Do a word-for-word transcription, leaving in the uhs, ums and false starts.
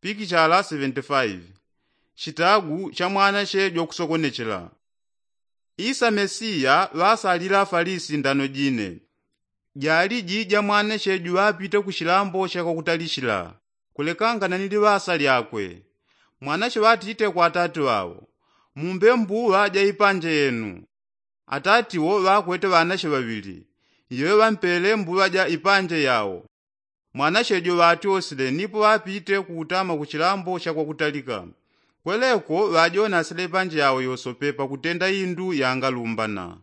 Pikichala seventy-five. Chitagu cha mwanache jwakusokonechela. Isa mesiya ŵasalila afalisi ndano jine. Jali jija mwanache juŵapite ku chilambo cha kwakutalichila, kulekangana ni liŵasa lyakwe. Mwanache ŵatite kwa atati ŵawo, mumbe mbuŵa ja ipanje yenu. Atati wo ŵakwete ŵanache ŵaŵili, yewe ŵampele mbuŵa ja ipanje yawo. Mwanache jo ŵatyosile nipo ŵapite kukutama ku chilambo cha kwakutalika. Kweleko ŵajonasile ipanje yawo yosope pakutenda indu yangalumbana.